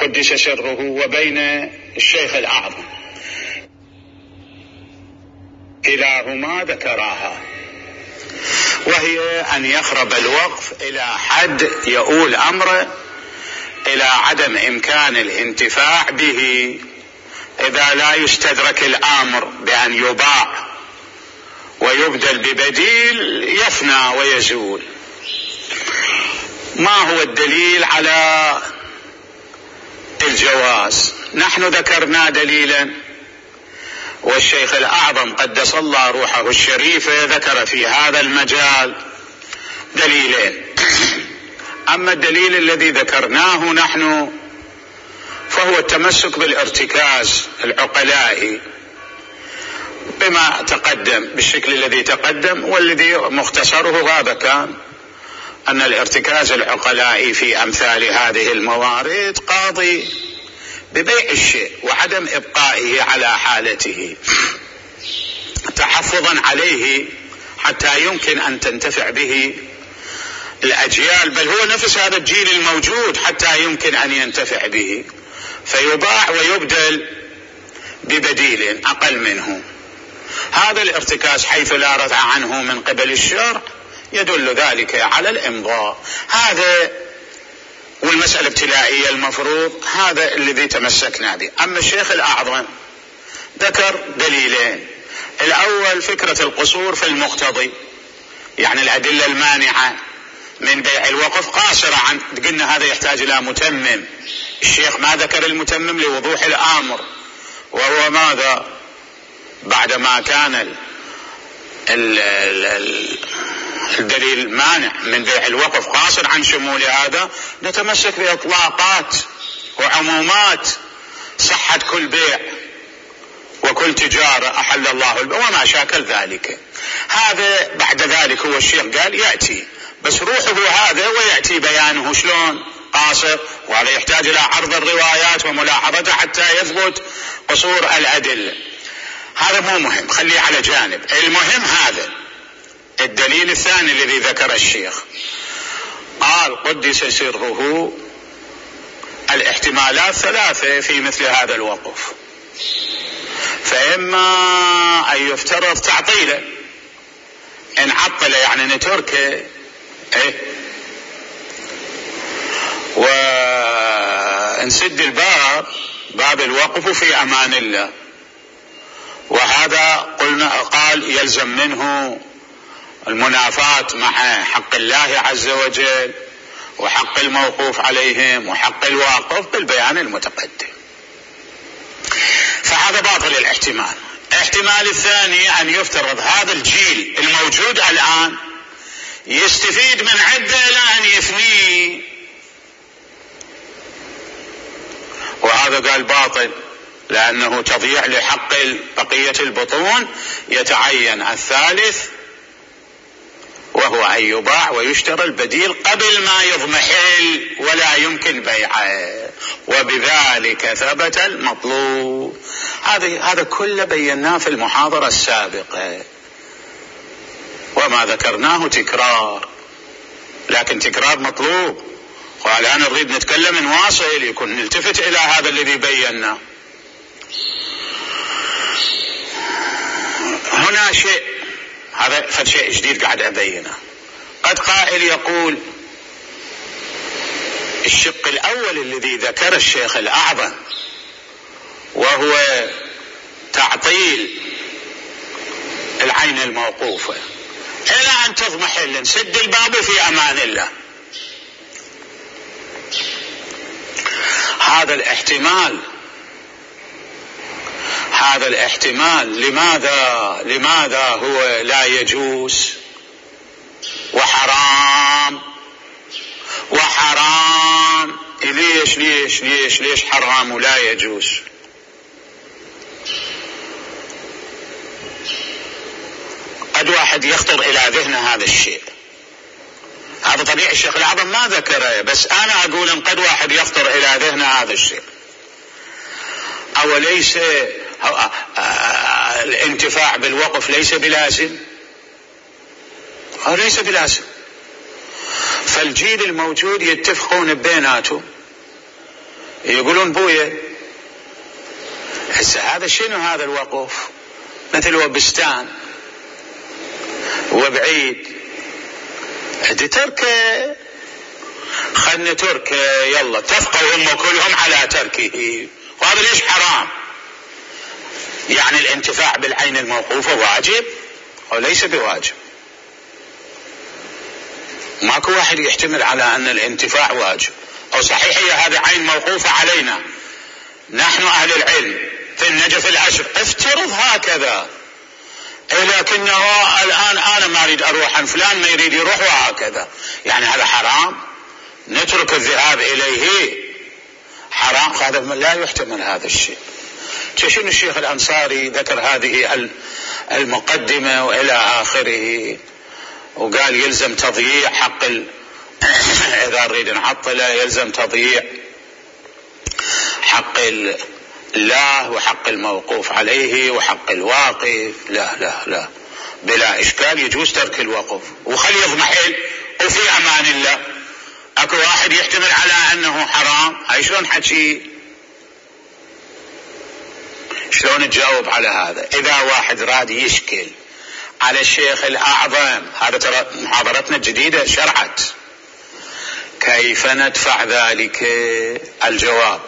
قدس سره وبين الشيخ الأعظم، كلاهما ذكراها، وهي أن يخرب الوقف إلى حد يؤول أمره إلى عدم إمكان الانتفاع به إذا لا يستدرك الأمر بأن يباع ويبدل ببديل يفنى ويزول. ما هو الدليل على الجواز؟ نحن ذكرنا دليلا، والشيخ الأعظم قدس الله روحه الشريفة ذكر في هذا المجال دليلين. أما الدليل الذي ذكرناه نحن فهو التمسك بالارتكاز العقلائي بما تقدم بالشكل الذي تقدم، والذي مختصره هذا كان أن الارتكاز العقلائي في أمثال هذه الموارد قاضي ببيع الشيء وعدم إبقائه على حالته تحفظا عليه حتى يمكن أن تنتفع به الأجيال، بل هو نفس هذا الجيل الموجود حتى يمكن أن ينتفع به، فيباع ويبدل ببديل أقل منه. هذا الارتكاز حيث لا ردع عنه من قبل الشرع يدل ذلك على الإمضاء. هذا والمسألة ابتلائية المفروض، هذا الذي تمسكنا به. أما الشيخ الأعظم ذكر دليلين. الأول فكرة القصور في المقتضي، يعني الأدلة المانعة من بيع الوقف قاصرة عن، قلنا هذا يحتاج إلى متمم. الشيخ ما ذكر المتمم لوضوح الأمر، وهو ماذا؟ بعدما كان الدليل المانع من بيع الوقف قاصر عن شمول هذا، نتمسك بإطلاقات وعمومات صحة كل بيع وكل تجارة أحل الله البيع وما شاكل ذلك. هذا بعد ذلك هو الشيخ قال يأتي، بس روحه هذا ويأتي بيانه شلون قاصر، وهذا يحتاج إلى عرض الروايات وملاحظتها حتى يثبت قصور الأدلة. هذا مو مهم، خليه على جانب. المهم هذا الدليل الثاني الذي ذكر الشيخ، قال قدس سره الاحتمالات ثلاثة في مثل هذا الوقف، فإما أن يفترض تعطيله، إن عطل يعني نتركه ونسد الباب، باب الوقف في أمان الله، وهذا قلنا قال يلزم منه المنافاة مع حق الله عز وجل وحق الموقوف عليهم وحق الواقف بالبيان المتقدم، فهذا باطل الاحتمال. الاحتمال الثاني أن يفترض هذا الجيل الموجود الآن يستفيد من عدة إلى أن يفنيه، وهذا قال باطل لأنه تضييع لحق بقية البطون. يتعين الثالث وهو أن يباع ويشترى البديل قبل ما يضمحل ولا يمكن بيعه، وبذلك ثبت المطلوب. هذا كله بيناه في المحاضرة السابقة، وما ذكرناه تكرار، لكن تكرار مطلوب. والآن نريد نتكلم نواصل، يكون نلتفت إلى هذا الذي بيناه. هنا شيء، هذا شيء جديد قاعد أبينه. قد قائل يقول الشق الأول الذي ذكر الشيخ الأعظم وهو تعطيل العين الموقوفة إلى أن تضمحل، نسد الباب في أمان الله. هذا الاحتمال لماذا هو لا يجوز وحرام؟ ليش حرام ولا يجوز؟ قد واحد يخطر إلى ذهن هذا الشيء، هذا طبيعي الشيخ الأعظم ما ذكره، بس أنا أقول إن قد واحد يخطر إلى ذهن هذا الشيء. أوليس الانتفاع بالوقف ليس بلازم؟ ليس بلازم. فالجيل الموجود يتفقون بيناتهم يقولون بويا. هسه هذا شنو هذا الوقف؟ مثل وبستان وبعيد تركه، خلنا تركه، يلا اتفقوا هم كلهم على تركه، وهذا ليش حرام؟ يعني الانتفاع بالعين الموقوفة واجب أو ليس بواجب؟ ماكو واحد يحتمل على أن الانتفاع واجب أو صحيح هي هذه عين موقوفة علينا نحن أهل العلم في النجف العشر، افترض هكذا، لكنه الآن أنا ما أريد أروح عن فلان ما يريد يروح وهكذا، يعني هذا حرام، نترك الذهاب إليه حرام، هذا لا يحتمل هذا الشيء. شنو الشيخ الأنصاري ذكر هذه المقدمة وإلى آخره، وقال يلزم تضييع حق إذا نريد نعطله يلزم تضييع حق الله وحق الموقوف عليه وحق الواقف. لا لا لا، بلا إشكال يجوز ترك الوقف وخلي يضمحل وفي أمان الله. أكو واحد يحتمل على أنه حرام، هاي شلون حكي؟ شلون تجاوب على هذا؟ إذا واحد راد يشكل على الشيخ الأعظم، هذا ترى محاضرتنا الجديدة شرعت، كيف ندفع ذلك؟ الجواب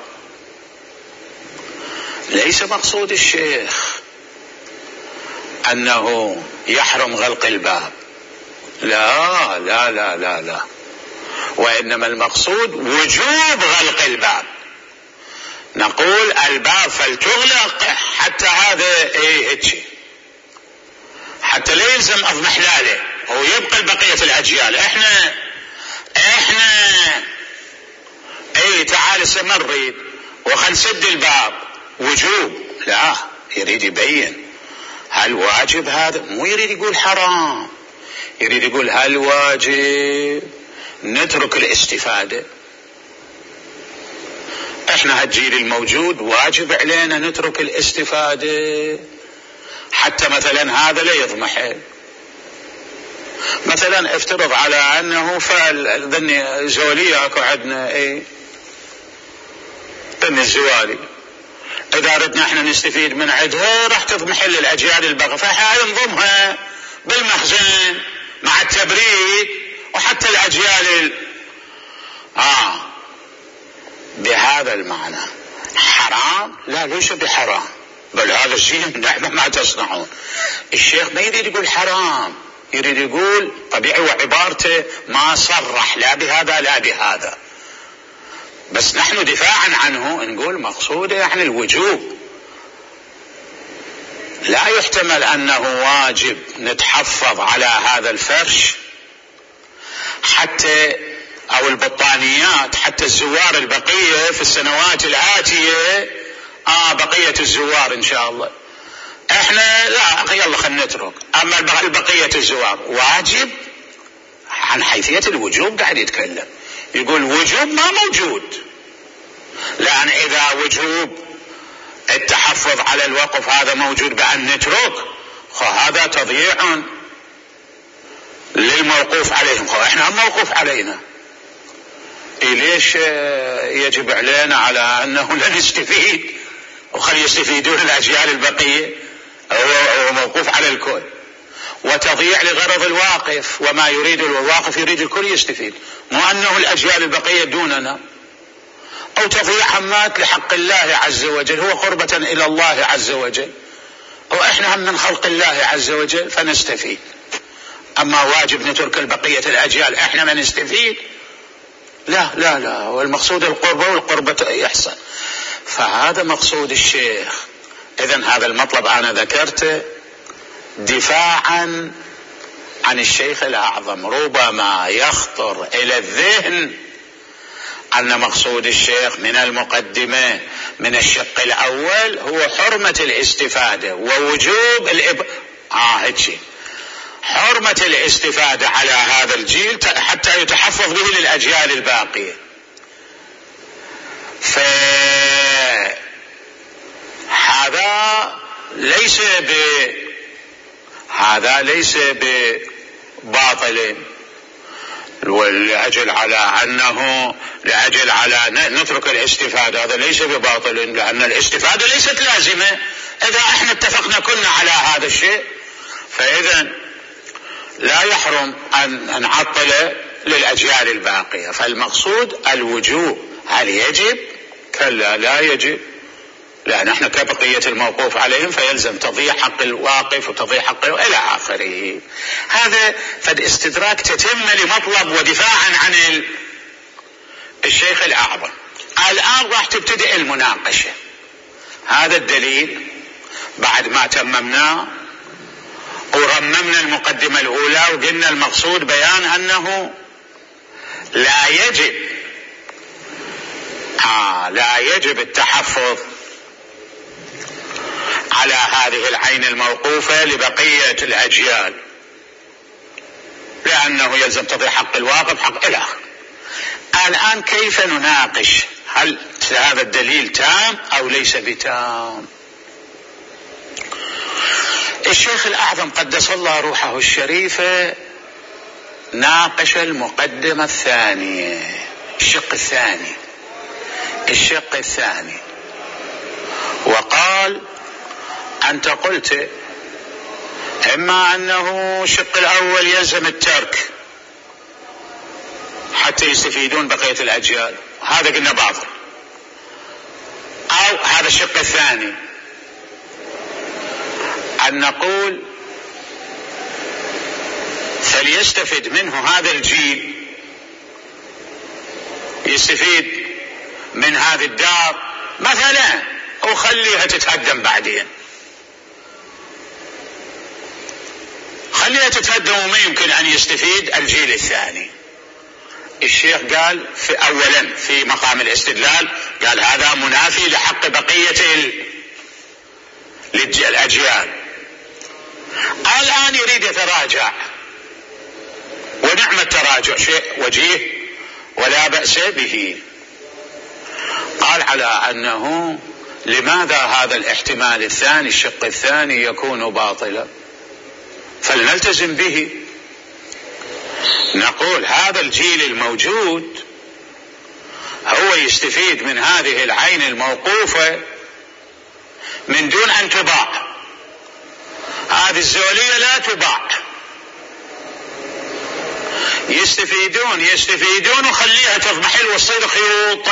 ليس مقصود الشيخ أنه يحرم غلق الباب، لا لا لا لا لا، وإنما المقصود وجوب غلق الباب. نقول الباب فلتغلق حتى هذا هيك، حتى لا يلزم اضمحلاله ويبقى بقية الأجيال. احنا تعال سنريد وخنسد الباب وجوب، لا، يريد يبين هل واجب هذا، مو يريد يقول حرام، يريد يقول هل واجب نترك الاستفادة. احنا هالجيل الموجود واجب علينا نترك الاستفادة حتى مثلا هذا لا يضمحل. مثلا افترض على انه فعل ذني زولية اكو عندنا ذني الزوالي، اذا ردنا احنا نستفيد من عندها راح تضمحل الاجيال الباقية، فحال نضمها بالمخزن مع التبريد وحتى الاجيال بهذا المعنى. حرام؟ لا، ليس بحرام، بل هذا الشيء نعم ما تصنعون. الشيخ ما يريد يقول حرام، يريد يقول طبيعي، وعبارته ما صرح لا بهذا لا بهذا، بس نحن دفاعا عنه نقول مقصوده يعني الوجوب. لا يحتمل أنه واجب نتحفظ على هذا الفرش حتى أو البطانيات حتى الزوار البقية في السنوات الآتية، بقية الزوار إن شاء الله احنا لا، يلا خلنا نترك. أما البقية الزوار واجب، عن حيثية الوجوب قاعد يتكلم، يقول وجوب ما موجود، لأن إذا وجوب التحفظ على الوقف هذا موجود بأن نترك، هذا تضييع للموقوف عليهم، احنا هم موقوف علينا، ليش يجب علينا على أنه لا نستفيد وخلي يستفيدون الأجيال البقية؟ هو موقوف على الكل، وتضييع لغرض الواقف، وما يريد الواقف يريد الكل يستفيد، مو أنه الأجيال البقية دوننا، أو تضييع همات لحق الله عز وجل، هو قربة إلى الله عز وجل، وإحنا هم من خلق الله عز وجل فنستفيد. أما واجب نترك البقية الأجيال إحنا ما نستفيد، لا لا لا، والمقصود القربة، والقربة يحصل. فهذا مقصود الشيخ. إذن هذا المطلب أنا ذكرته دفاعا عن الشيخ الأعظم. ربما يخطر إلى الذهن أن مقصود الشيخ من المقدمة من الشق الأول هو حرمة الاستفادة ووجوب هيك حرمة الاستفادة على هذا الجيل حتى يتحفظ به للأجيال الباقية. هذا ليس بباطل، ولأجل على نترك الاستفادة، هذا ليس بباطل، لأن الاستفادة ليست لازمة. إذا احنا اتفقنا كنا على هذا الشيء، فإذا لا يحرم أن نعطل للأجيال الباقية. فالمقصود الوجوب. هل يجب؟ كلا لا يجب، لأن احنا كبقية الموقوف عليهم فيلزم تضيع حق الواقف وتضيع حق إلى آخره. هذا فد استدراك تتم لمطلب ودفاعا عن الشيخ الأعظم. الآن راح تبتدئ المناقشة. هذا الدليل بعد ما تممناه ورممنا المقدمة الأولى وقلنا المقصود بيان أنه لا يجب التحفظ على هذه العين الموقوفة لبقية الأجيال، لأنه يلزم تضيع حق الواقف حق إلى آخره. الآن كيف نناقش؟ هل هذا الدليل تام أو ليس بتام؟ الشيخ الأعظم قدس الله روحه الشريفة ناقش المقدمة الثانية، الشق الثاني، وقال: أنت قلت إما أنه الشق الأول يلزم الترك حتى يستفيدون بقية الأجيال، هذا قلنا باطل، أو هذا الشق الثاني أن نقول فليستفد منه هذا الجيل، يستفيد من هذه الدار مثلا وخليها تتهدم بعدين، خليها تتهدم وما يمكن أن يستفيد الجيل الثاني. الشيخ قال أولا في مقام الاستدلال قال هذا منافي لحق بقية الأجيال. الآن يريد يتراجع، ونعم التراجع شيء وجيه ولا بأس به. قال على أنه لماذا هذا الاحتمال الثاني الشق الثاني يكون باطلا، فلنلتزم به. نقول هذا الجيل الموجود هو يستفيد من هذه العين الموقوفة من دون أن تباع، هذه الزولية لا تباع، يستفيدون وخليها تضمحل وتصير خيوط.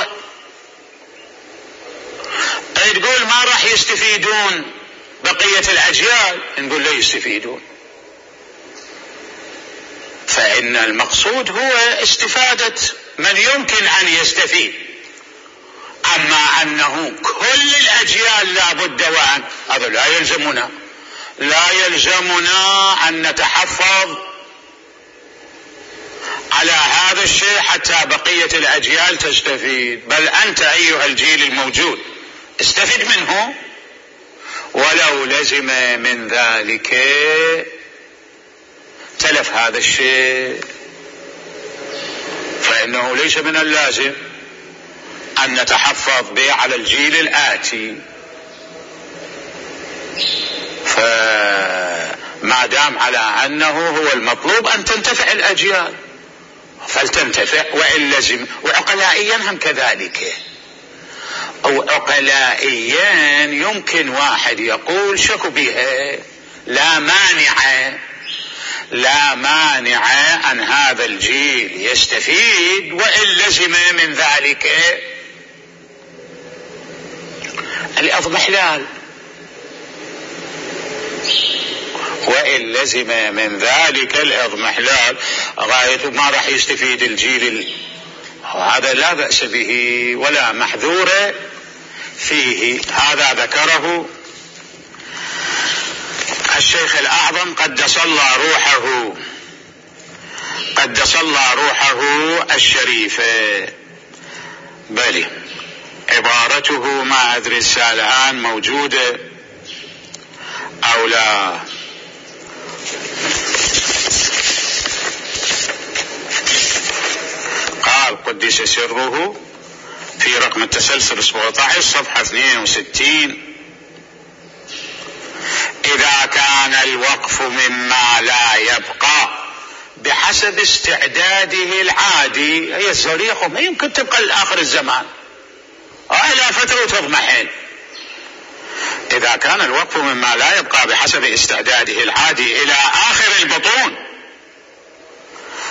تقول ما راح يستفيدون بقية الأجيال، نقول لا يستفيدون. فإن المقصود هو استفادة من يمكن أن يستفيد، أما أنه كل الأجيال لا بد وأن، هذا لا يلزمنا أن نتحفظ على هذا الشيء حتى بقية الأجيال تستفيد، بل أنت أيها الجيل الموجود استفد منه، ولو لزم من ذلك تلف هذا الشيء، فإنه ليس من اللازم أن نتحفظ به على الجيل الآتي. فما دام على أنه هو المطلوب أن تنتفع الأجيال فلتنتفع وإن لزم. وعقلائيا هم كذلك، أو عقلائيا يمكن واحد يقول شكو بها، لا مانع أن هذا الجيل يستفيد وإن لزم من ذلك الأضمحلال، وإن لزم من ذلك الأضمحلال غاية ما راح يستفيد الجيل، هذا لا بأس به ولا محذور فيه. هذا ذكره الشيخ الأعظم قدس الله روحه الشريفة. بل عبارته ما أدري الآن موجودة أو لا. قال قدس سره في رقم التسلسل 17 صفحة 62: إذا كان الوقف مما لا يبقى بحسب استعداده العادي. هي الزولية ما يمكن تبقى لآخر الزمان إلى فترة تضمحل. إذا كان الوقف مما لا يبقى بحسب استعداده العادي إلى آخر البطون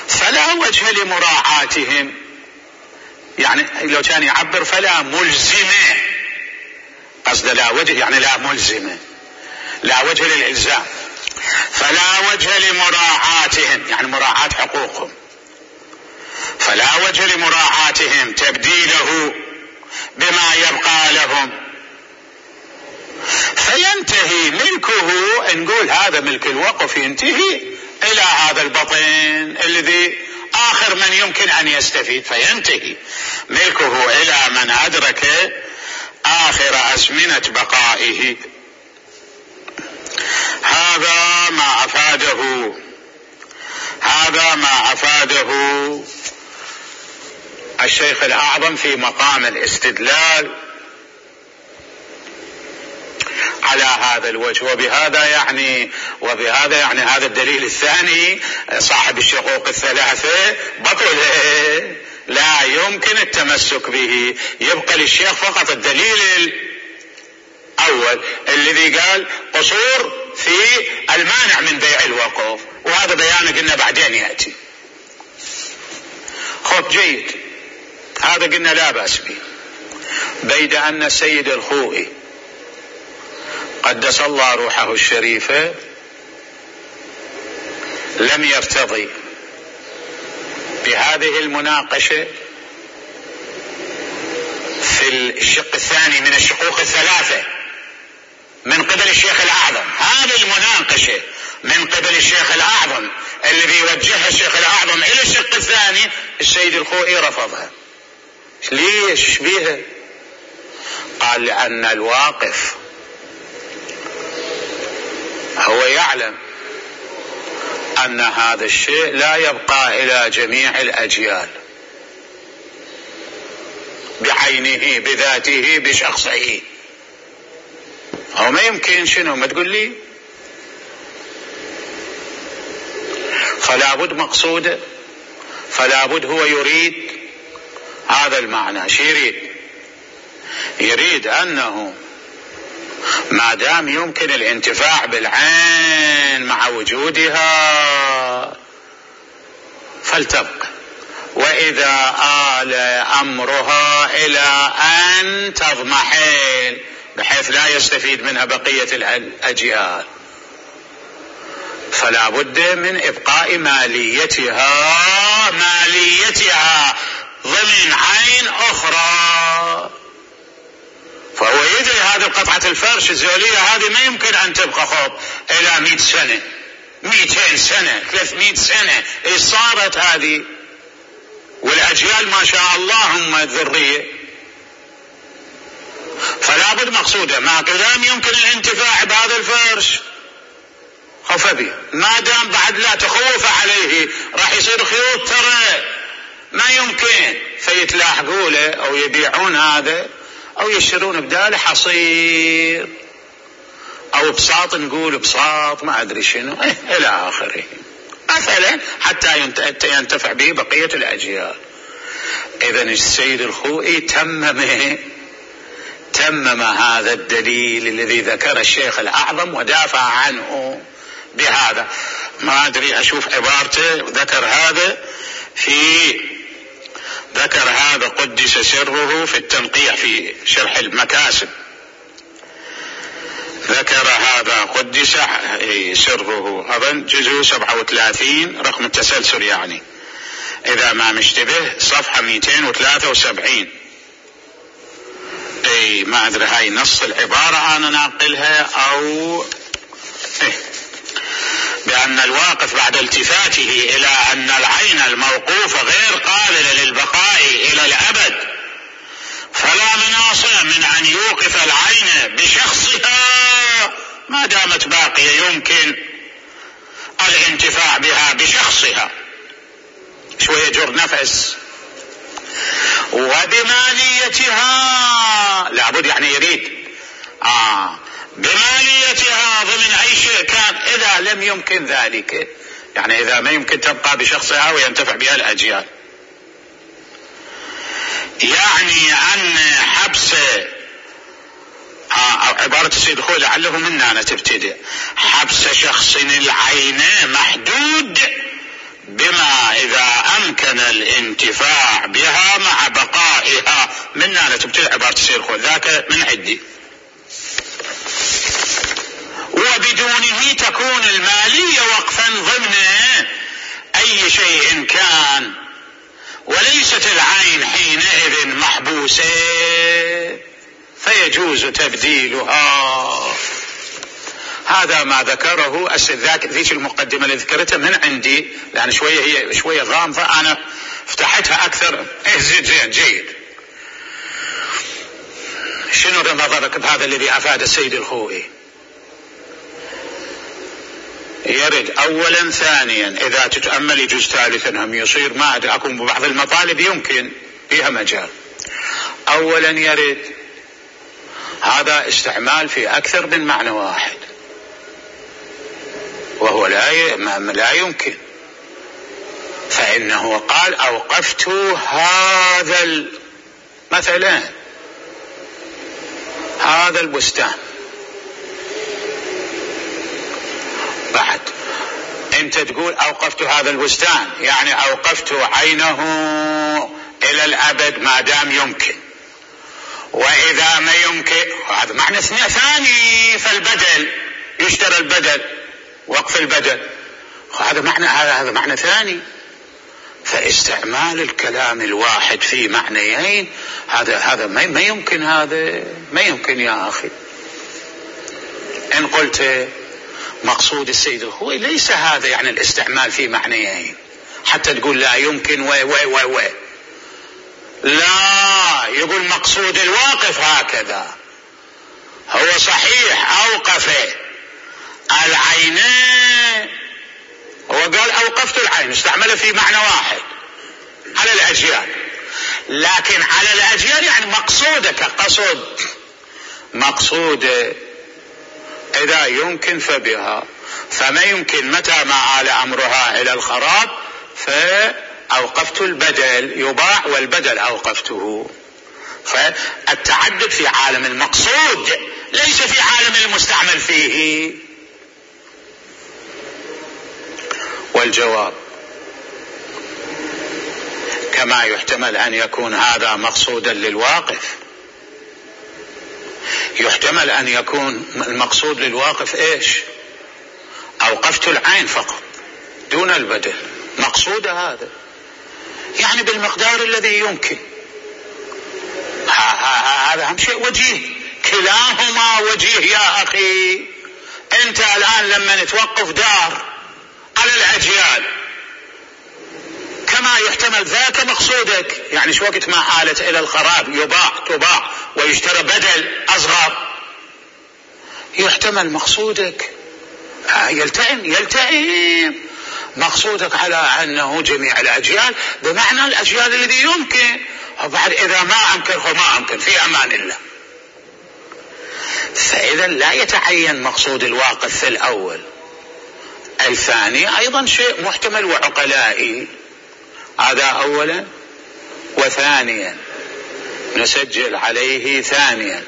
فلا وجه لمراعاتهم. يعني لو كان يعبر فلا ملزمة، قصد لا وجه يعني لا ملزمة، لا وجه للإلزام، فلا وجه لمراعاتهم يعني مراعاة حقوقهم، فلا وجه لمراعاتهم تبديله بما يبقى لهم، فينتهي ملكه. نقول هذا ملك الوقف ينتهي إلى هذا البطن الذي آخر من يمكن أن يستفيد، فينتهي ملكه إلى من أدرك آخر أزمنة بقائه. هذا ما أفاده الشيخ الأعظم في مقام الاستدلال على هذا الوجه. وبهذا يعني هذا الدليل الثاني صاحب الشقوق الثلاثة بطل، لا يمكن التمسك به. يبقى للشيخ فقط الدليل الأول الذي قال قصور في المانع من بيع الوقف، وهذا بيانه قلنا بعدين يأتي. خب جيد، هذا قلنا لا بأس به. بيد أن السيد الخوئي قدس الله روحه الشريفة لم يرتضي بهذه المناقشة في الشق الثاني من الشقوق الثلاثة من قبل الشيخ الأعظم. هذه المناقشة من قبل الشيخ الأعظم الذي يوجهها الشيخ الأعظم إلى الشق الثاني، السيد الخوئي رفضها. ليش بيها؟ قال لأن الواقف هو يعلم أن هذا الشيء لا يبقى إلى جميع الأجيال بعينه بذاته بشخصه. هو ما يمكن شنو ما تقول لي؟ فلا بد مقصوده، فلا بد هو يريد هذا المعنى. شو يريد أنه ما دام يمكن الانتفاع بالعين مع وجودها فلتبقى، وإذا آل أمرها إلى أن تضمحل بحيث لا يستفيد منها بقية الأجيال فلا بد من إبقاء ماليتها ضمن عين أخرى. فهو يدري هذه قطعة الفرش الزولية هذه ما يمكن أن تبقى خب إلى 100 سنة 200 سنة 300 سنة. إيش صارت هذه؟ والأجيال ما شاء الله هم الذرية. فلا بد مقصوده ما دام يمكن الانتفاع بهذا الفرش خوف به، ما دام بعد لا تخوف عليه راح يصير خيوط ترى ما يمكن، فيتلاحقوا له أو يبيعون هذا أو يشترون بداله حصير أو بساط، نقول بساط ما أدري شنو إلى آخره مثلا حتى ينتفع به بقية الأجيال. إذن السيد الخوئي تمم هذا الدليل الذي ذكر الشيخ الأعظم ودافع عنه بهذا. ما أدري أشوف عبارته ذكر هذا قدس سره في التنقيح في شرح المكاسب، ذكر هذا قدس سره أظن جزء 37 رقم التسلسل، يعني إذا ما مشتبه صفحة 273. ما أدري هاي نص العبارة أنا ناقلها أو بأن الواقف بعد التفاته إلى أن العين الموقوفة غير قابلة للبقاء إلى الأبد فلا مناص من أن يوقف العين بشخصها ما دامت باقية يمكن الانتفاع بها بشخصها. شوية جر نفس. وبماليتها لابد يعني يريد بماليتها ضمن أي شيء كان. إذا لم يمكن ذلك يعني إذا ما يمكن تبقى بشخصها وينتفع بها الأجيال. يعني أن حبس أو عبارة السيد الخوئي لعله من هنا تبتدئ: حبس شخص العين محدود بما إذا أمكن الانتفاع بها مع بقائها. من هنا تبتدئ عبارة السيد الخوئي، ذاك من عندي. وبدونه تكون المالية وقفا ضمن أي شيء كان، وليست العين حينئذ محبوسة فيجوز تبديلها. هذا ما ذكره ذيك المقدمة اللي ذكرتها من عندي، لأن هي شوية غامضة، أنا فتحتها أكثر. زين جيد. شنو نظرك بهذا الذي أفاد السيد الخوئي؟ يرد أولا، ثانيا إذا تتأمل يجوز ثالثا هم يصير، ما أدري أكون ببعض المطالب يمكن فيها مجال. أولا يرد هذا استعمال في أكثر من معنى واحد، وهو لا يمكن. فإنه قال أوقفت هذا مثلا هذا البستان، بعد انت تقول اوقفت هذا البستان، يعني اوقفت عينه الى الابد ما دام يمكن. واذا ما يمكن هذا معنى ثاني، فالبدل يشترى البدل، وقف البدل، هذا معنى ثاني. فاستعمال الكلام الواحد في معنيين هذا ما يمكن، هذا ما يمكن يا اخي. ان قلت مقصود السيد الخوئي ليس هذا يعني الاستعمال في معنيين حتى تقول لا يمكن لا، يقول مقصود الواقف هكذا. هو صحيح أوقف العينين، هو قال أوقفت العين، استعمله في معنى واحد على الأجيال، لكن على الأجيال يعني مقصودة كقصد، مقصودة إذا يمكن فبها، فما يمكن متى ما آل أمرها إلى الخراب فأوقفت البدل، يباع والبدل أوقفته. فالتعدد في عالم المقصود ليس في عالم المستعمل فيه. والجواب كما يحتمل أن يكون هذا مقصودا للواقف، يحتمل أن يكون المقصود للواقف إيش؟ أوقفت العين فقط دون البدل، مقصود هذا يعني بالمقدار الذي يمكن. هذا هم شيء وجيه، كلاهما وجيه يا أخي. أنت الآن لما نتوقف دار على الأجيال كما يحتمل ذاك مقصودك، يعني شو وقت ما آلت إلى الخراب تباع ويشترى بدل أصغر، يحتمل مقصودك يلتئم مقصودك على أنه جميع الأجيال بمعنى الأجيال الذي يمكن، وبعد إذا ما أمكن في أمان الله. فإذا لا يتعين مقصود الواقف في الأول. الثاني أيضا شيء محتمل وعقلائي، هذا أولا. وثانيا نسجل عليه ثانيا،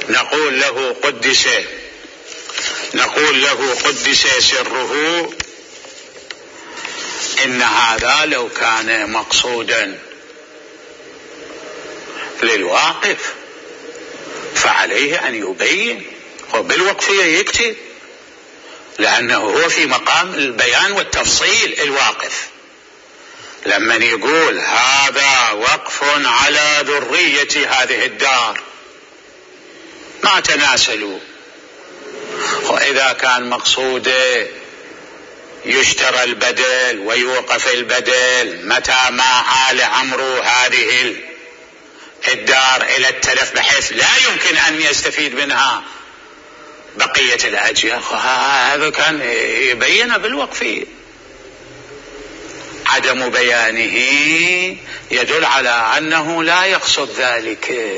نقول له قدس سره إن هذا لو كان مقصودا للواقف فعليه أن يبين، وبالوقفية يكتب، لأنه هو في مقام البيان والتفصيل. الواقف لما يقول هذا وقف على ذرية هذه الدار ما تناسلوا، وإذا كان مقصوده يشترى البدل ويوقف البدل متى ما آل أمر هذه الدار إلى التلف بحيث لا يمكن أن يستفيد منها بقية الأجيال، هذا كان يبين بالوقفية. عدم بيانه يدل على أنه لا يقصد ذلك،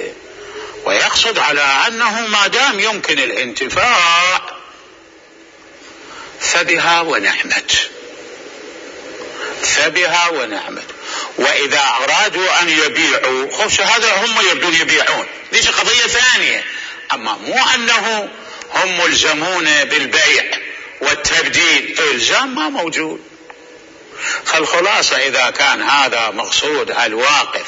ويقصد على أنه ما دام يمكن الانتفاع فبها ونعمت، فبها ونعمت. وإذا أرادوا أن يبيعوا خش هذا هم يبدون يبيعون، ليش قضية ثانية، أما مو أنه هم ملزمون بالبيع والتبديل، إلزام ما موجود. فالخلاصة إذا كان هذا مقصود الواقف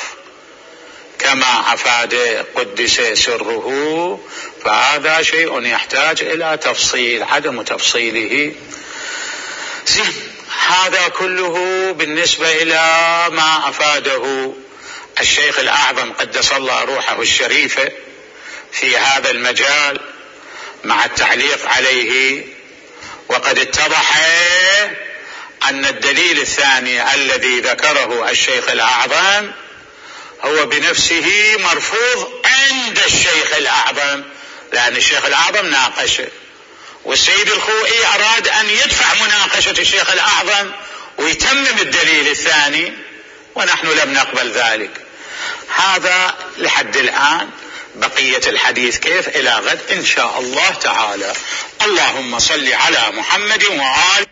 كما أفاد قدس سره، فهذا شيء يحتاج إلى تفصيل، عدم تفصيله. هذا كله بالنسبة إلى ما أفاده الشيخ الأعظم قدس الله روحه الشريفة في هذا المجال مع التعليق عليه. وقد اتضح أن الدليل الثاني الذي ذكره الشيخ الأعظم هو بنفسه مرفوض عند الشيخ الأعظم، لأن الشيخ الأعظم ناقشه، والسيد الخوئي أراد أن يدفع مناقشة الشيخ الأعظم ويتمم الدليل الثاني، ونحن لم نقبل ذلك. هذا لحد الآن، بقية الحديث كيف إلى غد إن شاء الله تعالى. اللهم صل على محمد وآله.